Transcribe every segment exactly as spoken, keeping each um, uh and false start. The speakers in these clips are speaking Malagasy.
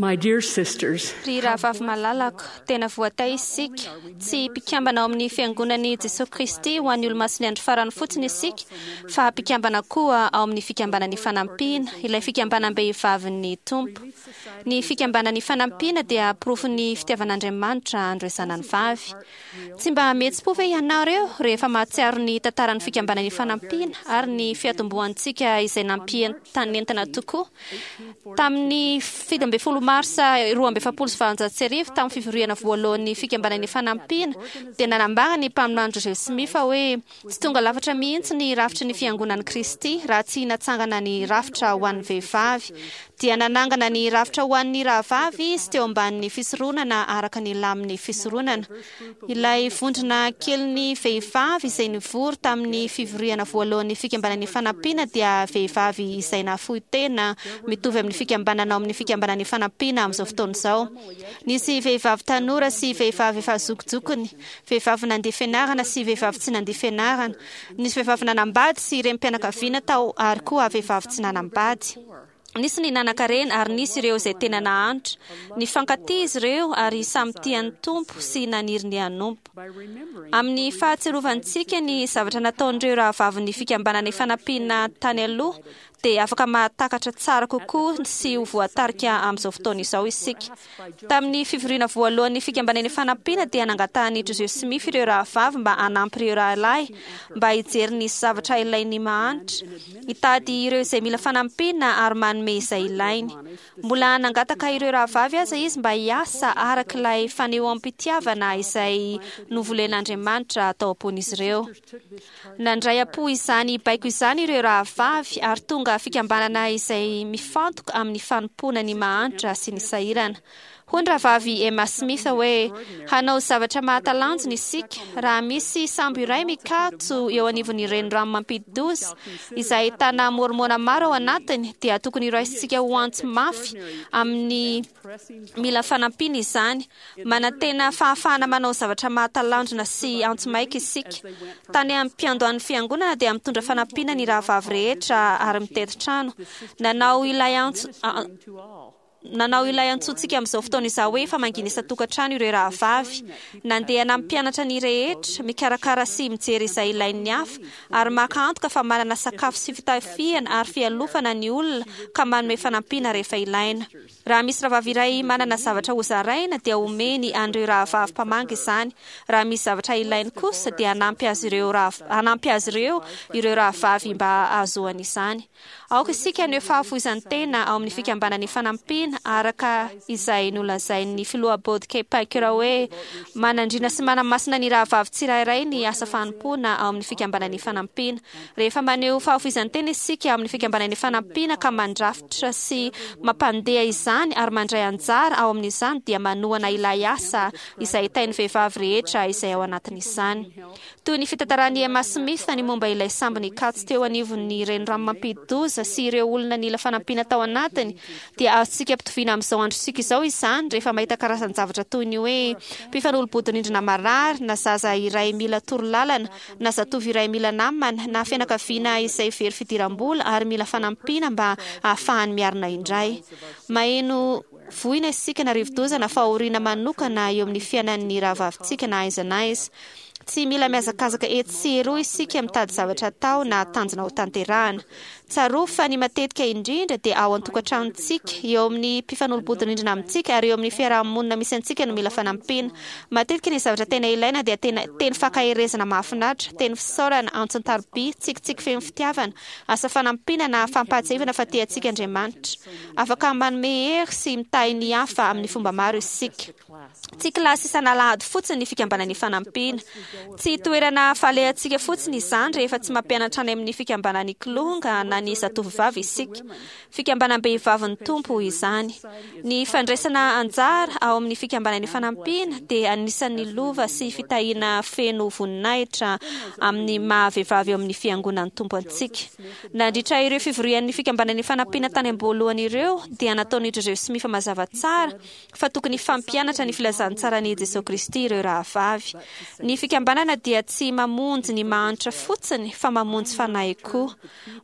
My dear sisters, Ry rahavavy malalako, tena voatahy isika. Tsy mpikambana ao amin'ny fiangonan'i Jesosy Kristy ho an'ny Olomasin'ny Andro Farany fotsiny isika, fa mpikambana koa ao amin'ny fikambanan'ny fanampiana, ilay fikambanam-behivavin'ny Tompo. Ny fikambanan'ny fanampiana dia porofon'ny fitiavan'Andriamanitra an'ireo zanany vavy. Tsy mba mihetsi-po ve ianareo rehefa mahatsiaro ny tantaran'ny fikambanan'ny fanampiana ary ny fiatombohantsika izay nampientanentana tokoa? Tamin'ny fito ambin'ny folo marsa roa amby efapolo sy valonjato sy arivo, tamin'ny fivoriana voalohan'ny fikambanan'ny fanampiana, dia nanambara ny mpaminany Joseph Smith fa hoe tsy tonga lafatra mihitsy ny rafitry ny fiangonan'i Kristy raha tsy natsangana ny rafitra ho an'ny vehivavy. Dia nanangana ny rafitra ho an'ny rahavavy izy teo ambanin'ny fisoronana araka ny lamin'ny fisoronana. Ilay vondrona kelin'ny vehivavy izay nivory tamin'ny fivoriana voalohan'ny fikambanan'ny fanampiana dia vehivavy izay nahafoy tena mitovy amin'ny fikambanana ao amin'ny fikambanan'ny fanampiana amin'izao fotoana izao. Nisy vehivavy tanora sy vehivavy efa zokijokiny, vehivavy nandia fianarana sy vehivavy tsy nandia fianarana. Nisy vehivavy nanambady sy renim-pianakaviana tao ary koa vehivavy tsy nanambady. Nisy ny nanankarena ary nisy ireo izay tena nahantra. Nifankatia izy ireo ary samy tia ny Tompo sy naniry ny hanompo. Amin'ny fahatsiarovantsika ny zavatra nataon'ireo rahavavin'ny fikambanana ifanampiana tany aloha, dia afaka mahatakatra tsara kokoa sy ho voatarika amin'izao fotoana izao isika. Tamin'ny fivoriana voalohan'ny fikambanana ifanampiana dia nangatahan'i Joseph Smith ireo rahavavy mba hanampy ireo rahalahy mba hijery ny zavatra ilain'ny mahantra, hitady ireo izay mila fanampiana ary manome izay ilainy. Mbola nangataka ireo rahavavy aza izy mba hiasa araka ilay fanehoam-pitiavana izay novolen'Andriamanitra tao am-pon'izy ireo. Nandray am-po izany baiko izany ireo rahavavy ary tonga fikambanana izay mifantoka amin'ny fanompoana ny mahantra sy ny sahirana. Hoy ny rahavavy Emma Smith hoe, Hanao zavatra mahatalanjona isika raha misy sambo iray mikatso eo anivon'ny renirano mampidi-doza izay ahitana Môrmôna maro ao anatiny, dia tokony horaisintsika ho antso mafy amin'ny mila fanampiana izany. Manantena fahafahana manao zavatra mahatalanjona sy antso maika isika. Tany am-piandohan'ny fiangonana dia mitondra fanampiana ny rahavavy rehetra ary mitety trano. Nanao ilay antso Nanao ilay antsointsika amin'izao fotoana izao hoe famangiana isan-tokantrano ireo rahavavy. Nandeha nampianatra ny rehetra, mikarakara sy mijery izay ilain'ny hafa, ary maka antoka fa manana sakafo sy fitafiana ary fialofana ny olona ka manome fanampiana rehefa ilaina. Raha misy rahavavy iray manana zavatra hozaraina dia omeny an'ireo rahavavy mpamangy izany. Raha misy zavatra ilainy kosa dia hanampy azy ireo hanampy azy ireo ireo rahavavy mba hahazoany izany. Aoka isika haneho fahafoizan-tena ao amin'ny fikambanan'ny fanampiana araka izay nolazain'ny filoha Boyd K. Packer hoe manandriana sy manamasina ny rahavavy tsirairay ny asa fanompoana ao amin'ny fikambanan'ny fanampiana. Rehefa maneho fahafoizan-tena isika amin'ny fikambanan'ny fanampiana ka mandrafitra sy mampandeha izany ary mandray anjara ao amin'izany dia manohana ilay asa izay hitain'ny vehivavy rehetra izay ao anatin'izany. Toy ny fitantaran'i Emma Smith ny momba ilay sambo nikatso teo anivon'ny renirano mampidi-doza sy ireo olona nila fanampiana tao anatiny dia azontsika ampitoviana amin'izao androntsika izao izany rehefa mahita karazan-javatra toy ny hoe mpifanolo-bodirindrina marary na zaza iray mila torolalana na zatovo iray mila namana na fianakaviana izay very fidiram-bola ary mila fanampiana mba hahafahany miarina indray. Maheno voina isika na rivodoza na fahoriana manokana eo amin'ny fiainan'ny rahavavintsika na aiza na aiza. Tsy mila mihazakazaka etsy sy eroa isika mitady zavatra atao na tanjona hotanterahana. Tsarovy fa ny matetika indrindra dia ao an-tokantranontsika, eo amin'ny mpifanolo-bodirindrina amintsika ary eo amin'ny fiaraha-monina misy antsika no mila fanampiana. Matetika ny zavatra tena ilaina dia tena teny fankaherezana mahafinaritra, teny fisaorana, antso an-taroby, tsikitsiky feno fitiavana, asa fanampiana na fampahatsiahivana fa tia antsika Andriamanitra. Afaka manome hery sy mitahy ny hafa amin'ny fomba maro isika. Tsy kilasy isan'alahady fotsiny ny fikambanan'ny fanampiana. Tsy toerana falehantsika fotsiny izany rehefa tsy mampianatra any amin'ny fikambanan'ny Kilonga na ny Zatovovavy isika. Fikambanam-behivavin'ny Tompo izany. Ny fandraisana anjara ao amin'ny fikambanan'ny fanampiana dia anisan'ny lova sy fitahiana feno voninahitra amin'ny maha vehivavy ao amin'ny Fiangonan'ny Tompo antsika. Nandritra ireo fivorian'ny fikambanan'ny fanampiana tany am-boalohany ireo dia nataon'i Joseph Smith mazava tsara fa tokony hifampianatra ny filazantsaran'i Jesoa Kristy ireo rahavavy. Ny fikambanana fikambanana dia tsy mamonjy ny mahantra fotsiny fa mamonjy fanahy koa.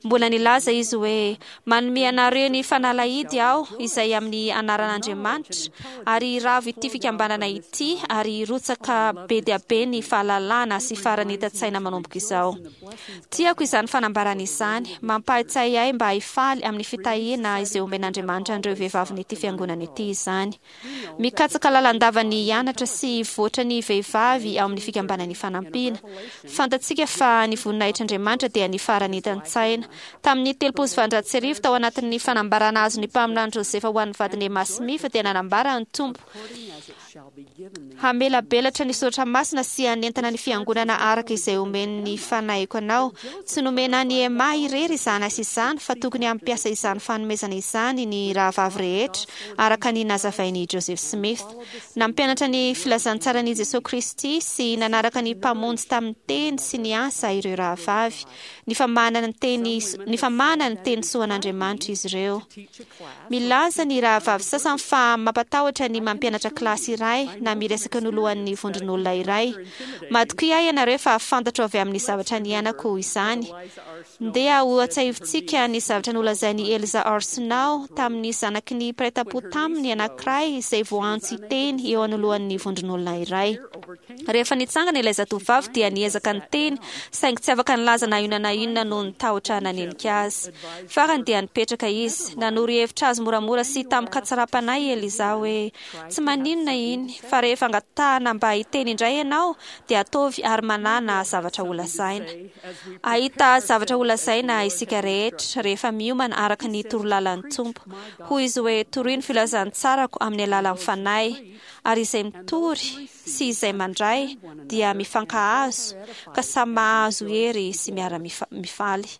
Mbola nilaza izy hoe manome anareo ny fanalahidy aho izay amin'ny anaran'Andriamanitra ary hiravo ity fikambanana ity ary hirotsaka be dia be ny fahalalana sy faharanitan-tsaina manomboka izao. Tiako izany fanambarana izany, mampahatsiahy ahy mba hifaly amin'ny fitahiana izay omen'Andriamanitra an'ireo vehivavin'ity fiangonana ity izany. Mikatsaka lalandava ny hianatra sy hivoatra ny vehivavy ao amin'ny fikambanan'ny fanampiana. Fantatsika fa ny voninahitr'Andriamanitra dia ny faharanitan-tsaina. Tamin'ny telopolo sy valonjato sy arivo tao anatin'ny fanambarana azon'ny mpaminany Josefa ho an'ny vadiny Emma Smith dia nanambara ny Tompo hamelabelatra ny soratra masina sy hanentana ny fiangonana araka izay omen'ny fanahiko anao. Tsy nomena an'i Emma irery izany asa izany fa tokony hampiasa izany fanomezana izany ny rahavavy rehetra araka ny nazavain'i Joseph Smith. Nampianatra ny filazantsaran'i Jesosy Kristy sy nanaraka ny mpamonjy tamin'ny teny sy ny asa ireo rahavavy. Nifamahana ny teny nifamahana ny teny soan'Andriamanitra izy ireo. Milaza ny rahavavy sasany fa mampatahotra ny mampianatra kilasy iray na miresaka ny lohan'ny vondron'olona iray. Matokia ianareo fa fantatro avy amin'ny zavatra niainako izany. Ndeha hoatsahivitsika ny zavatra nolazain'i Eliza R. Snow tamin'ny zanaky ny mpiray tampo taminy anankiray izay voantso hiteny eo anoloan'ny vondron'olona iray. Rehefa nitsangana ilay zatovavy dia niezaka niteny saingy tsy afaka nilaza na inona na inona noho ny tahotra nanenika azy. Farany dia nipetraka izy. Nanoro hevitra azy moramora sy tamin-katsaram-panahy Eliza hoe tsy maninona iny fa rehefa angatahana mba hiteny indray ianao dia ataovy ary manana zavatra holazaina. Ahita zavatra holazaina isika rehetra rehefa miomana araka ny torolalan'ny Tompo. Hoy izy hoe torio ny filazantsarako amin'ny alalan'ny fanahy ary izay mitory sy izay mandray dia mifankahazo ka samy mahazo hery sy miara-mifaly.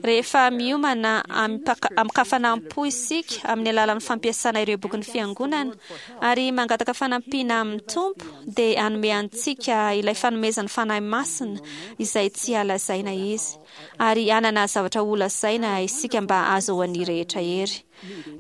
Rehefa miomana amin-kafanam-po isika amin'ny alalan'ny fampiasana ireo bokin'ny fiangonana ary mangataka fanampiana amin'ny Tompo dia hanome antsika ilay fanomezan'ny fanahy masina izay tsy halazaina izy ary hanana zavatra holazaina isika mba hahazoan'ny rehetra hery.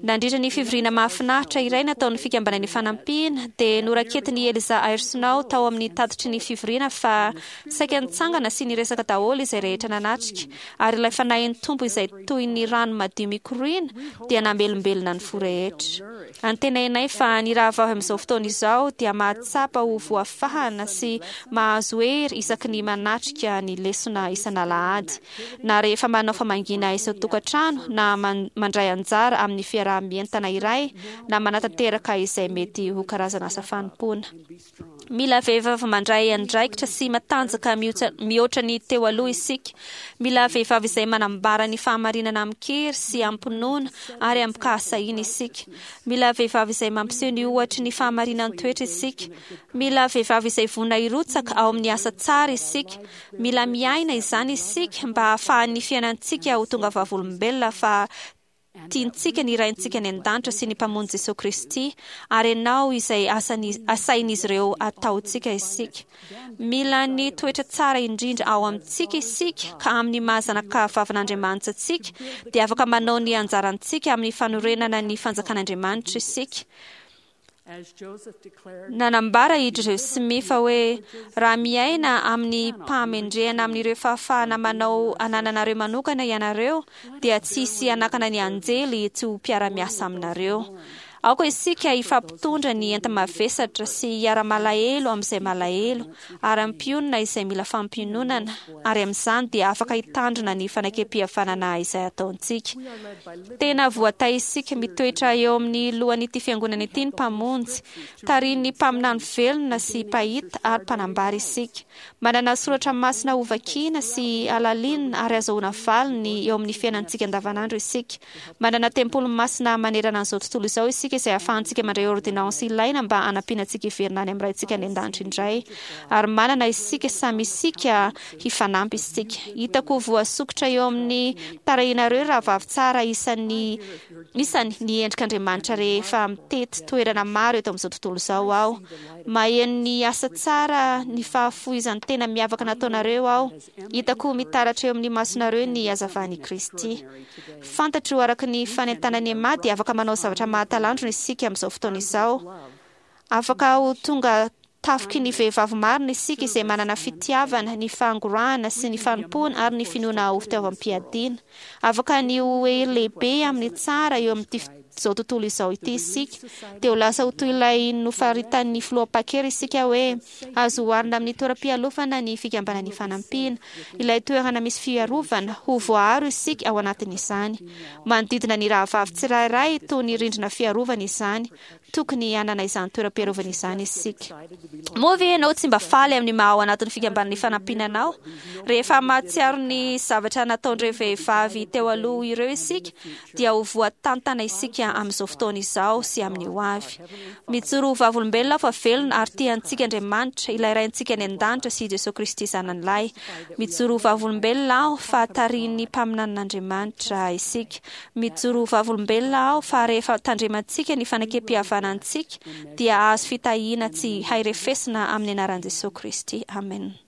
Nandritra ny fivoriana mahafinaritra iray nataon'ny fikambanan'ny fanampiana dia noraketin'i Eliza R. Snow tao amin'ny tatitry ny fivoriana fa saika nitsangana sy niresaka daholo izay rehetra nanatrika ary ilay fanahin'ny Tompo izay toy ny rano madio mikoriana dia namelombelona ny fo rehetra. Antenainay fa ny rahavavy amin'izao fotoana izao dia mahatsapa ho voafahana sy mahazo hery isaky ny manatrika ny lesona isan'alahady na rehefa manao famangiana isan-tokantrano na mandray anjara amin'ny fiaraha-mientana iray na manatanteraka izay mety ho karazana asa fanompoana. Mila vehivavy mandray andraikitra sy matanjaka mihoatra ny teo aloha isika. Mila vehivavy izay manambara ny fahamarinana amin-kery sy amim-pinoana ary amim-pahasahiana isika. Mila vehivavy izay mampiseho ny ohatry ny fahamarinan-toetra isika. Mila vehivavy izay vonona hirotsaka ao amin'ny asa tsara isika. Mila miaina izany isika mba hahafahan'ny fiainantsika ho tonga vavolombelona fa tiantsika ny Raintsika any an-danitra sy ny Mpamonjy Jesosy Kristy ary ianao izay asain'izy ireo ataontsika isika. Mila ny toetra tsara indrindra ao amintsika isika ka amin'ny maha zanaka vavin'Andriamanitra antsika dia afaka manao ny anjarantsika amin'ny fanorenana ny fanjakan'Andriamanitra isika. Nanambara i Joseph Smith hoe raha miaina amin'ny pahamendrehana amin'ireo fahafahana manao anananareo manokana ianareo dia tsy hisy hanakana ny anjely tsy ho mpiara-miasa aminareo. Aoka isika hifampitondra ny enta-mavesatra sy hiara-malahelo amin'izay malahelo ary hampionona izay mila fampiononana ary amin'izany dia afaka hitandrina ny fanekem-pihavanana izay ataontsika. Tena voatahy isika mitoetra eo amin'ny lohan'ity fiangonana ity ny Mpamonjy. Tarihin'ny mpaminany velona sy mpahita ary mpanambara isika. Manana soratra masina hovakiana sy halalinina ary azahoana valiny eo amin'ny fiainantsika andavanandro isika. Manana tempoly masina manerana an'izao tontolo izao isika izay ahafahantsika mandray ordinansy ilaina mba hanampiana antsika hiverina any amin'ny Raintsika any an-danitra indray. Ary manana isika samy isika hifanampy isika. Hitako voasokitra eo amin'ny tarehinareo rahavavy tsara isan'ny isany ny endrik'Andriamanitra rehefa mitety toerana maro eto amin'izao tontolo izao aho. Maheno ny asa tsara ny fahafoizan'ny tena miavaka nataonareo aho. Hitako mitaratra eo amin'ny masonareo ny hazavan'i Kristy. Fantatro araka ny fanentanan'i Emma dia afaka manao zavatra mahatalanjona isika amin'izao fotoana izao. Afaka ho tonga Tafiky ny vehivavy marina isika izay manana fitiavana, ny fangorahana sy ny fanompoana ary ny finoana ho fitaovam-piadiana. Afaka ny ho hery lehibe amin'ny tsara eo amin'ity izao tontolo izao ity isika. Dia ho lasa ho toy ilay nofaritan'ny filoha Packer isika hoe azo oharina amin'ny toeram-pialofana ny fikambanan'ny fanampiana. Ilay toerana misy fiarovana, ho voaaro isika ao anatin'izany. Manodidina ny rahavavy tsirairay toy ny rindrina fiarovana izany. Tokony hanana izany toeram-piarovana izany isika. Moa ve ianao tsy mba faly amin'ny maha ao anatin'ny fikambanan'ny fanampiana anao? Rehefa mahatsiaro ny zavatra nataon'ireo vehivavy teo aloha ireo isika, dia ho voatantana isika amin'izao fotoana izao sy amin'ny ho avy. Mijoro ho vavolombelona aho fa velona ary tia antsika Andriamanitra, ilay Raintsika any an-danitra sy Jesoa Kristy Zanany lahy. Mijoro ho vavolombelona aho fa tarihin'ny mpaminanin'Andriamanitra isika. Mijoro ho vavolombelona aho fa rehefa tandremantsika ny fanekem-pihavanantsika, dia hahazo fitahiana tsy hay refesina amin'ny anaran'i Jesoa Kristy. Amen.